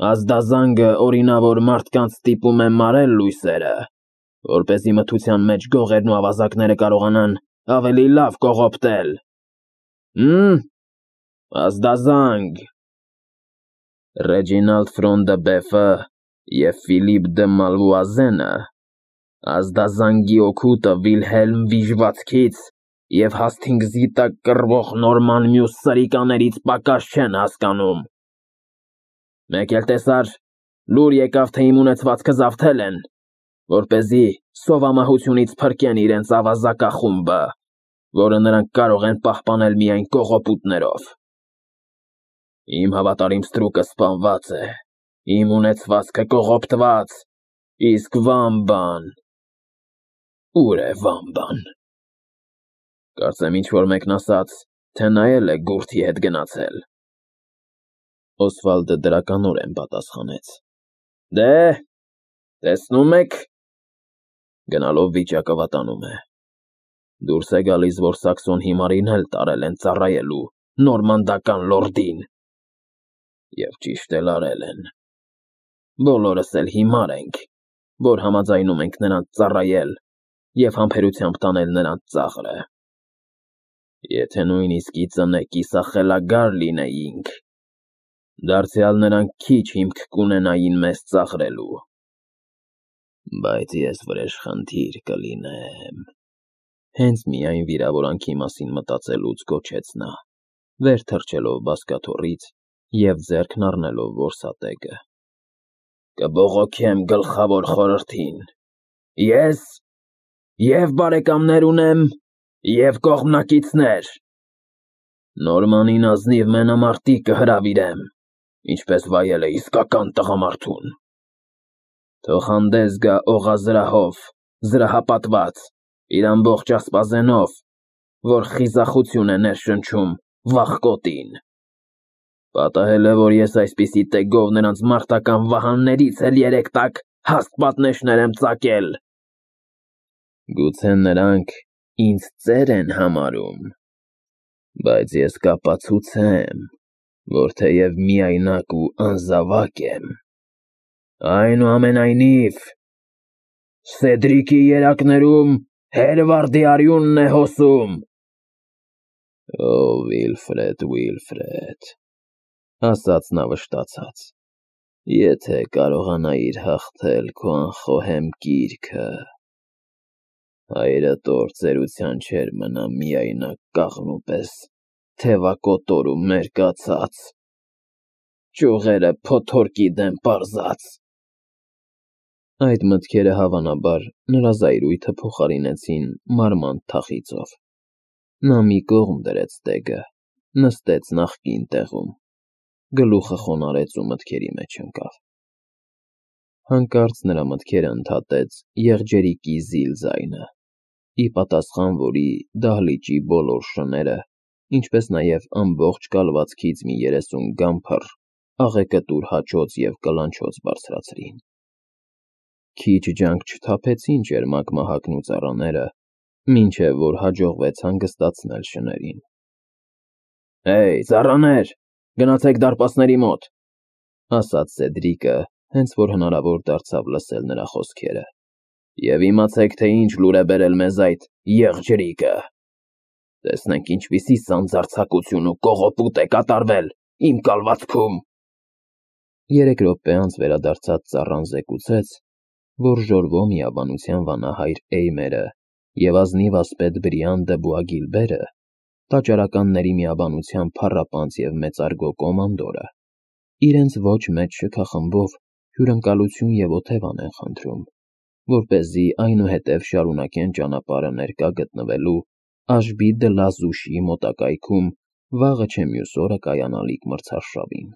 Ազդազանգը օրինավոր մարդկանց ստիպում է մարել լույսերը, որպեսզի մթության մեջ գողերն ու ավազակները կարողանան ավելի լավ կողոպտել։ Ազդազանգ։ Ռեջինալդ Ֆրոն դը Բեֆը և Ֆիլիպ դը Մալվուազենը ազդազանգի օգուտը Վիլհելմ Վիժվացքից և Հասթինգզի տակ կռվող Նորման մյուս սրիկաներից պակաս չեն հասկանում։ Մեկ էլ տեսար, լուր եկավ, թե իմ ունեցվածքը զավթել են, որպեսզի սովամահությունից փրկեն իրենց ավազակախումբը, որը նրանք կարող են պահպանել միայն կողոպուտներով։ Իմ հավատարիմ ստրուկը սպանված է, իմ ունեցվածքը կողոպտված, իսկ Վամբան… Ուր է Վամբան։ Կարծեմ ինչ-որ մեկն ասաց, թե նա էլ է գուրթի հետ գնացել։ Օսվալդը դրականորեն պատասխանեց. Դե, տեսնում եք, գնալով վիճակը վատանում է։ Դուրս է գալիս, որ Սաքսոն հիմարին էլ տարել են ծառայելու նորմանդական լորդին։ Եվ ճիշտ էլ արել են։ Բոլորս էլ հիմար ենք, որ համաձայնում ենք նրանց ծառայել և համբերությամբ տանել նրանց ծաղրը։ Եթե նույնիսկ ի ծնե կիսախելագար լինեինք, դարձյալ նրանք քիչ հիմք կունենային մեզ ծաղրելու։ Բայց ես վրեժխնդիր կլինեմ։ Հենց միայն վիրավորանքի մասին մտածելուց գոչեց նա, վեր թռչելով բազկաթոռից և ձեռքն առնելով որսատեգը։ Կբողոքեմ գլխավոր խորհրդին։ Ես և բարեկամներ ունեմ, և կողմնակիցներ։ Նորմանին ազնիվ մենամարտի կհրավիրեմ, ինչպես վայել է իսկական տղամարդուն։ Թող հանդես գա օղազրահով, զրահապատված, իր ամբողջ ասպազենով, որ խիզախություն է ներշնչում վախկոտին։ Պատահել է, որ ես այսպիսի տեգով նրանց մարտական վահաններից էլ 3 տակ հաստ պատնեշներ եմ ծակել։ Գուցե նրանք ինձ ծեր են համարում, բայց ես կապացուցեմ, որ թեև միայնակ ու անզավակ եմ, այնուամենայնիվ Սեդրիկի երակներում Հերվարդի արյունն է հոսում։ Ո Վիլֆրեդ, ասաց նա վշտացած, եթե կարողանայիր հաղթել քո անխոհեմ գիրքը, հայրդ օր ծերության չէր մնա միայնակ կաղնու պես թևակոտոր ու մերկացած, ճյուղերը փոթորկի դեմ պարզած։ Այդ մտքերը հավանաբար նրա զայրույթը փոխարինեցին մարմանդ թախիծով։ Նա մի կողմ դրեց ստեգը, նստեց նախկին տեղում, գլուխը խոնարհեց ու մտքերի մեջ ընկավ։ Հանկարծ նրա մտքերը ընդհատեց եղջերիկի զիլ ձայնը, ի պատասխան որի դահլիճի բոլոր շները, ինչպես նաև ամբողջ կալվածքից մի 30 գամփր աղեկտուր հաչոց և կլանչոց բարձրացրին։ Քիչ ջանք չթափեցին ճերմակ մահակն ու ծառաները, մինչև որ հաջողվեց հանգստացնել շներին։ Հեյ, ծառաներ, գնացեք դարպասների մոտ, ասաց Սեդրիկը, հենց որ հնարավոր դարձավ լսել նրա խոսքերը, և իմացեք, թե ինչ լուր է բերել մեզ այդ եղջերիկը։ Տեսնենք ինչպիսի սանձարձակություն ու կողոպուտ է կատարվել իմ կալվածքում։ 3 րոպե անց վերադարձած ծառան զեկուցեց, որ Ժորվո միաբանության վանահայր Էյմերը և ազնիվ ասպետ Բրիան դը Բուագիլբերը, տաճարականների միաբանության փառապանծ և մեծարգո կոմանդորը, իրենց ոչ մեծ շքախմբով հյուրընկալություն և օթևան են խնդրում, որպեսզի այնուհետև շարունակեն ճանապարհը ներկա գտնվելու Աշբի դը Լազուշի մոտակայքում վաղը չէ մյուս օրը կայանալիք մրցարշավին։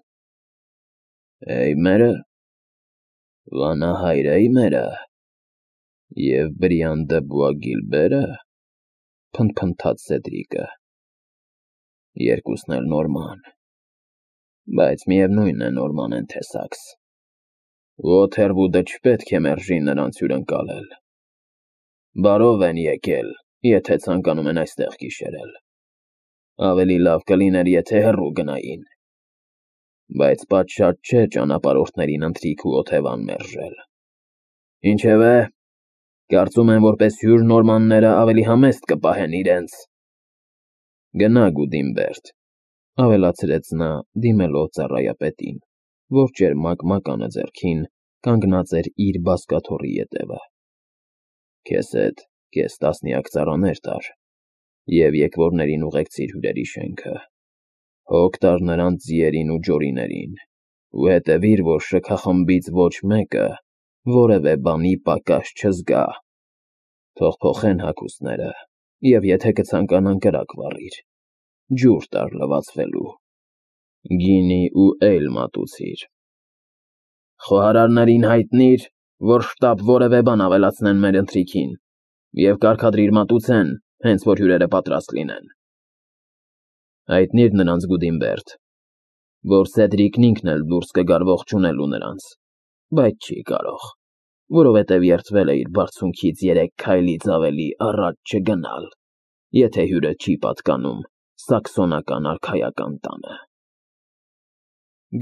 Էյմերը, վանահայր Էյմերը և Բրիան դը Բուագիլբերը, փնթփնթաց Սեդրիկը։ Երկուսն էլ նորման, բայց միևնույն է նորման են թե Սաքս։ Ոթերվուդը չպետք է մերժի նրանց հյուրընկալել։ Բարով են եկել, եթե ցանկանում են այստեղ գիշերել։ Ավելի լավ կլիներ, եթե հեռու գնային։ բայց պատշաճ չէ ճանապարհորդներին ընթրիք ու օթևան մերժել։ Ինչևէ, կարծում եմ, որպես հյուր նորմանները ավելի համեստ կպահեն իրենց։ Գնա Գուդինբերդ, ավելացրեց նա, դիմելով ծառայապետին, որ ճերմակ մականը ձեռքին կանգնած էր իր բազկաթոռի ետևը։ Քեզ հետ կես տասնյակ ծառաներ տար, և եկվորներին ուղեկցիր հյուրերի շենքը։ Հոգ տար նրանց ձիերին ու ջորիներին, ու հետևիր, որ շքախմբից ոչ մեկը որևէ բանի պակաս չզգա։ Թող փոխեն հագուստները, և եթե կցանկանան կրակ վառիր, ջուր տար լվացվելու, գինի ու էյլ մատուցիր։ Խոհարարներին հայտնիր, որ շտապ որևէ բան ավելացնեն մեր ընթրիքին, և կարգադրիր մատուցեն, հենց որ հյուրերը պատրաստ լինեն։ Հայտնիր նրանց Գուդինբերդ, որ Սեդրիկն ինքն էլ դուրս կգար ողջունելու նրանց, բայց չի կարող, որովհետև երդվել է իր բարձունքից 3 քայլից ավելի առաջ չգնալ, եթե հյուրը չի պատկանում սաքսոնական արքայական տանը։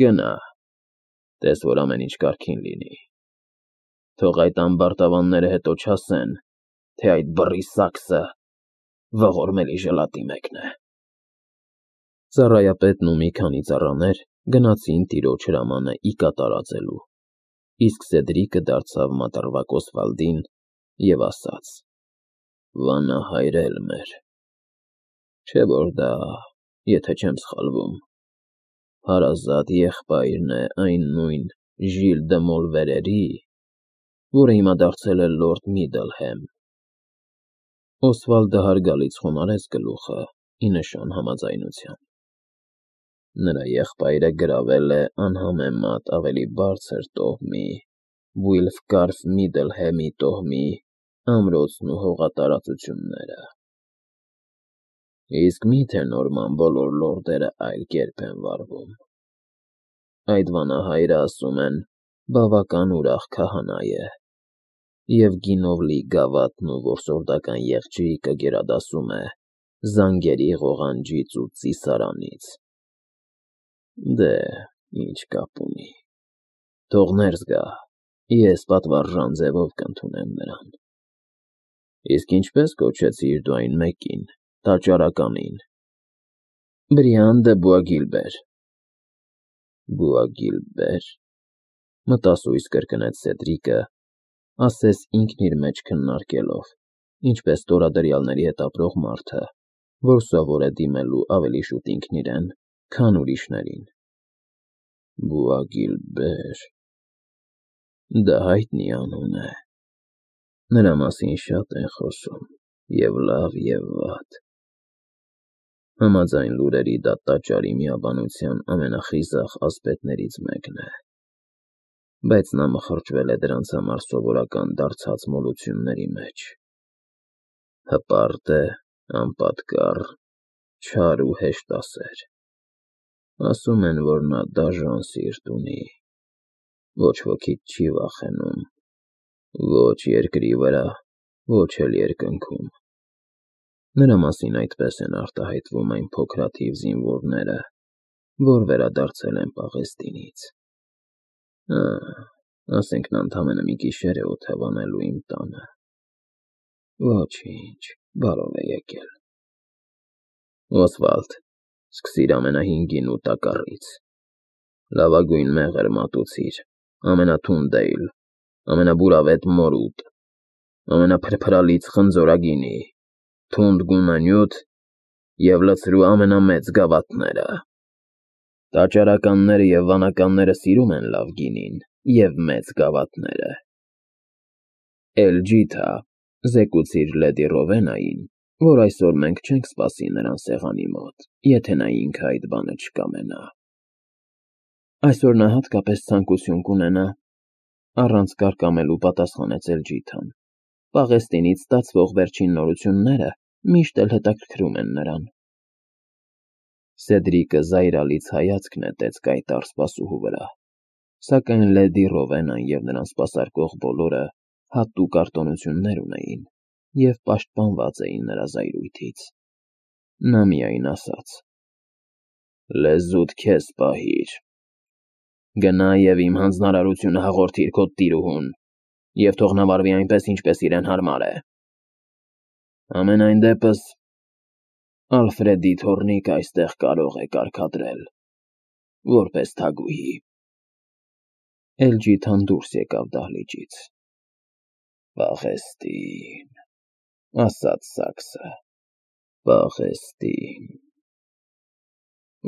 Գնա, տես, որ ամեն ինչ կարգին լինի։ Թող այդ ամբարտավանները հետո չասեն, թե այդ բռի սաքսը ողորմելի ժլատի մեկն է։ Ծառայապետն ու մի քանի ծառաներ գնացին տիրոջ հրամանը ի կատարածելու, իսկ Սեդրիկը դարձավ մատռվակ Օսվալդին և ասաց. «Վանահայր Էլմեր, չէ՞ որ դա, եթե չեմ սխալվում, հարազատ եղբայրն է այն նույն Ժիլ դը Մոլվերերի, որը հիմա դարձել է լորդ Միդլհեմ»։ Օսվալդը հարգալից խոնարհեց գլուխը ի նշան համաձայնության։ Նրա եղբայրը գրավել է անհամեմատ ավելի բարձր տոհմի Վուիլֆկարֆ Միդլհեմի տոհմի ամրոցն ու հողատարածությունները։ Իսկ մի՞թե նորման բոլոր լորդերը այլ կերպ են վարվում։ Այդ վանահայրը, ասում են, բավական ուրախ քահանա է, և գինով լի գավաթն ու որսորդական եղջյուրիկը գերադասում է զանգերի ղողանջից ու ծիսարանից։ Դե, ինչ կապ ունի, թող ներս գա, ես պատվարժան ձևով կընդունեմ նրան։ Իսկ ինչպե՞ս կոչեցիր դու այն մեկին, տաճարականին։ Բրիան դը Բուագիլբեր։ Բուագիլբեր, մտասույս կրկնեց Սեդրիկը, ասես ինքն իր մեջ քննարկելով, ինչպես տորադրյալների հետ ապրող մարդը, որ սովոր է դիմելու ավելի շուտ ինքն իրեն, քան ուրիշներին։ Բուագիլբեր, դա հայտնի անուն է։ Նրա մասին շատ են խոսում, և լավ, և վատ։ Համաձայն լուրերի դա տաճարի միաբանության ամենախիզախ ասպետներից մեկն է, բայց նա մխրճվել է դրանց համար սովորական դարձած մոլությունների մեջ։ Հպարտ է, անպատկառ, չար ու հեշտասեր։ Ասում են, որ նա դաժան սիրտ ունի, ոչ ոքից չի վախենում, ոչ երկրի վրա, ոչ էլ երկնքում։ Նրա մասին այդպես են արտահայտվում այն փոքրաթիվ զինվորները, որ վերադարձել են Պաղեստինից։ Ասենք նա ընդամենը մի գիշեր է օթևանելու իմ տանը։ Ոչինչ, բարով է եկել։ Օսվալդ, սկսիր ամենահին գինու տակառից։ Լավագույն մեղր մատուցիր, ամենաթունդ էյլ, ամենաբուրավետ մորուդ, ամենափրփրալից խնձորագինի, թունդ գունանյութ և լցրու ամենամեծ գավաթները։ Տաճարականները և վանականները սիրում են լավ գինին և մեծ գավաթները։ Էլջիթա, զեկուցիր լեդի Ռովենային, որ այսօր մենք չենք սպասի նրան սեղանի մոտ, եթե նա ինքը այդ բանը չկամենա։ Այսօր նա հատկապես ցանկություն կունենա, առանց կարկամելու պատասխանեց Էլջիթան։ Պաղեստինից ստացվող վերջին նորությունները միշտ էլ հետաքրքրում են նրան։ Սեդրիկը զայրալից հայացք նետեց կայտառ սպասուհու վրա, սակայն լեդի Ռովենան և նրան սպասարկող բոլորը հատուկ արտոնություններ ունեին և պաշտպանված էին նրա զայրույթից։ Նա միայն ասաց. «Լեզուդ քեզ պահիր, Գնա և իմ հանձնարարությունը հաղորդիր քո տիրուհուն, և թող նա վարվի այնպես, ինչպես իրեն հարմար է։ Համենայն դեպս, Ալֆրեդի թոռնիկը այստեղ կարող է կարգադրել, որպես թագուհի։ Էլջիթան դուրս եկավ դահլիճից։ Պաղեստին, ասաց Սաքսը, Պաղեստին։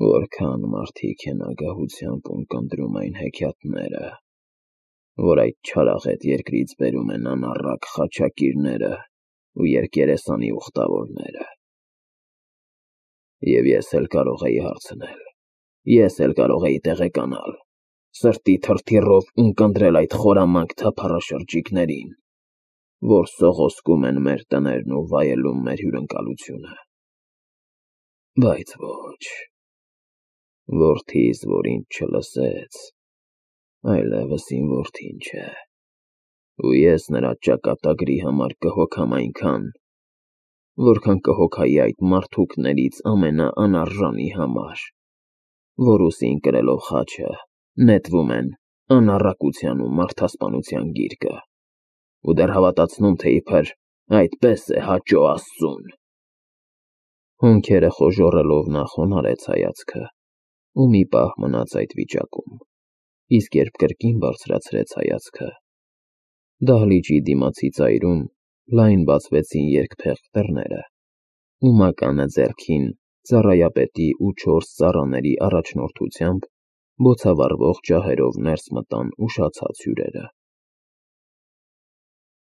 Որքան մարդիկ են ագահությամբ ունկնդրում այն հեքիաթները, որ այդ չարաղետ երկրից բերում են անառակ խաչակիրները ու երկերեսանի ուխտավորները։ Եվ ես էլ կարող էի հարցնել, ես էլ կարող էի տեղեկանալ, սրտի թրթիռով ունկնդրել այդ խորամանկ թափառաշրջիկներին, որ սողոսկում են մեր տներն ու վայելում մեր հյուրընկալությունը։ Բայց ոչ, որդիս, որ ինձ չլսեց, այլևս իմ որդին չէ, ու ես նրա ճակատագրի համար կհոգամ այնքան, որքան կհոգայի այդ մարդուկներից ամենաանարժանի համար, որ ուսին կրելով խաչը նետվում են անառակության ու մարդասպանության գիրկը, ու դեռ հավատացնում, թե իբր այդպես է հաճո Աստծուն։ Հոնքերը խոժոռելով նա խոնարհեց հայացքը ու մի պահ մնաց այդ վիճակում, իսկ երբ կրկին բարձրացրեց հայացքը, դահլիճի դիմացի ծայրում լայն բացվեցին երկփեղկ դռները, ու մականը ձեռքին ծառայապետի ու 4 ծառաների առաջնորդությամբ բոցավառվող ջահերով ներս մտան ուշացած հյուրերը։